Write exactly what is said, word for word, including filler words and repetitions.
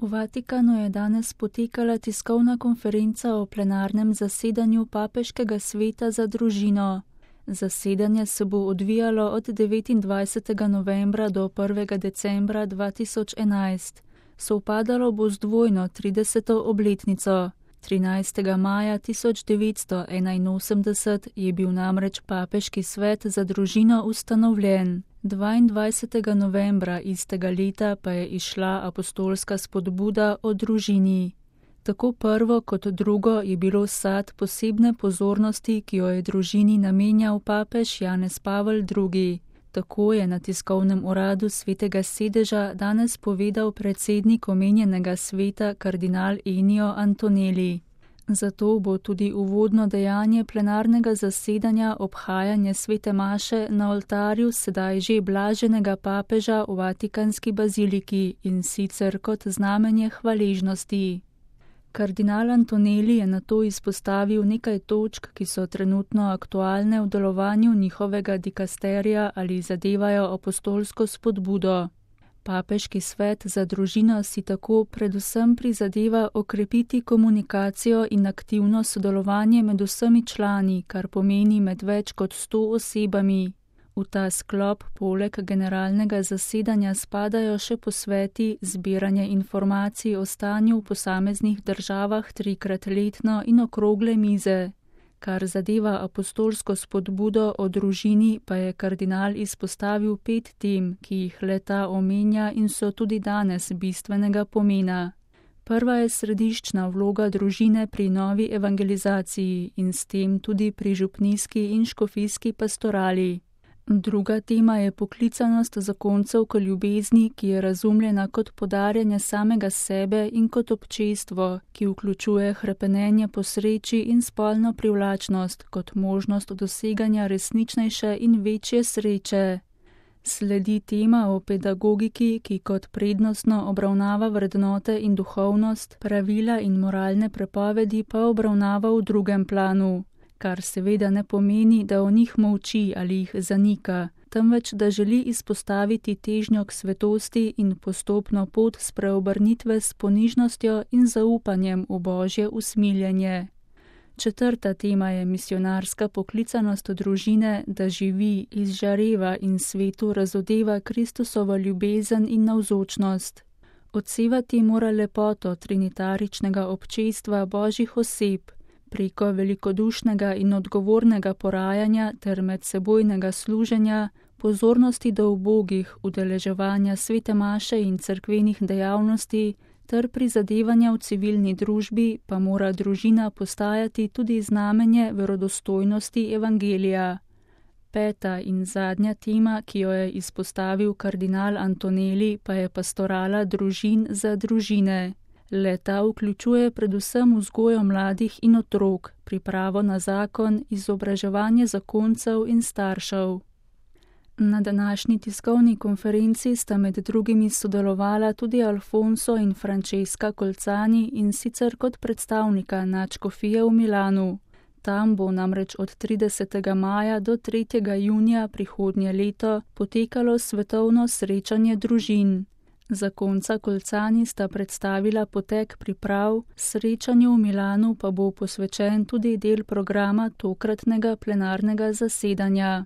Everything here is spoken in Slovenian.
V Vatikanu je danes potekala tiskovna konferenca o plenarnem zasedanju Papeškega sveta za družino. Zasedanje se bo odvijalo od devetindvajsetega novembra do prvega decembra dva tisoč enajst. Sovpadalo bo z dvojno trideseto obletnico. trinajstega maja tisoč devetsto enainosemdeset je bil namreč Papeški svet za družino ustanovljen. dvaindvajsetega novembra istega leta pa je izšla apostolska spodbuda o družini. Tako prvo kot drugo je bilo sad posebne pozornosti, ki jo je družini namenjal papež Janez Pavel drugi. Tako je na tiskovnem uradu Svetega sedeža danes povedal predsednik omenjenega sveta kardinal Ennio Antonelli. Zato bo tudi uvodno dejanje plenarnega zasedanja obhajanje svete maše na oltarju sedaj že blaženega papeža v Vatikanski baziliki in sicer kot znamenje hvaležnosti. Kardinal Antonelli je nato izpostavil nekaj točk, ki so trenutno aktualne v delovanju njihovega dikasterija ali zadevajo apostolsko spodbudo. Papeški svet za družino si tako predvsem prizadeva okrepiti komunikacijo in aktivno sodelovanje med vsemi člani, kar pomeni med več kot sto osebami. V ta sklop poleg generalnega zasedanja spadajo še posveti, zbiranje informacij o stanju v posameznih državah trikrat letno in okrogle mize. Kar zadeva apostolsko spodbudo o družini, pa je kardinal izpostavil pet tem, ki jih le-ta omenja in so tudi danes bistvenega pomena. Prva je središčna vloga družine pri novi evangelizaciji in s tem tudi pri župnijski in škofijski pastorali. Druga tema je poklicanost zakoncev k ljubezni, ki je razumljena kot podarjanje samega sebe in kot občestvo, ki vključuje hrepenenje po sreči in spolno privlačnost kot možnost doseganja resničnejše in večje sreče. Sledi tema o pedagogiki, ki kot prednostno obravnava vrednote in duhovnost, pravila in moralne prepovedi pa obravnava v drugem planu. Kar seveda ne pomeni, da o njih molči ali jih zanika, temveč da želi izpostaviti težnjo k svetosti in postopno pot spreobrnitve s ponižnostjo in zaupanjem v Božje usmiljenje. Četrta tema je misionarska poklicanost družine, da živi, izžareva in svetu razodeva Kristusovo ljubezen in navzočnost. Odsevati mora lepoto trinitaričnega občestva Božjih oseb, preko velikodušnega in odgovornega porajanja ter medsebojnega služenja, pozornosti do ubogih, udeleževanja svete maše in cerkvenih dejavnosti ter prizadevanja v civilni družbi pa mora družina postajati tudi znamenje verodostojnosti evangelija. Peta in zadnja tema, ki jo je izpostavil kardinal Antonelli, pa je pastorala družin za družine. Le-ta vključuje predvsem vzgojo mladih in otrok, pripravo na zakon, izobraževanje zakoncev in staršev. Na današnji tiskovni konferenci sta med drugimi sodelovala tudi Alfonso in Francesca Colzani in sicer kot predstavnika nadškofije v Milanu. Tam bo namreč od tridesetega maja do tretjega junija prihodnje leto potekalo svetovno srečanje družin. Zakonca Colzani sta predstavila potek priprav, srečanju v Milanu pa bo posvečen tudi del programa tokratnega plenarnega zasedanja.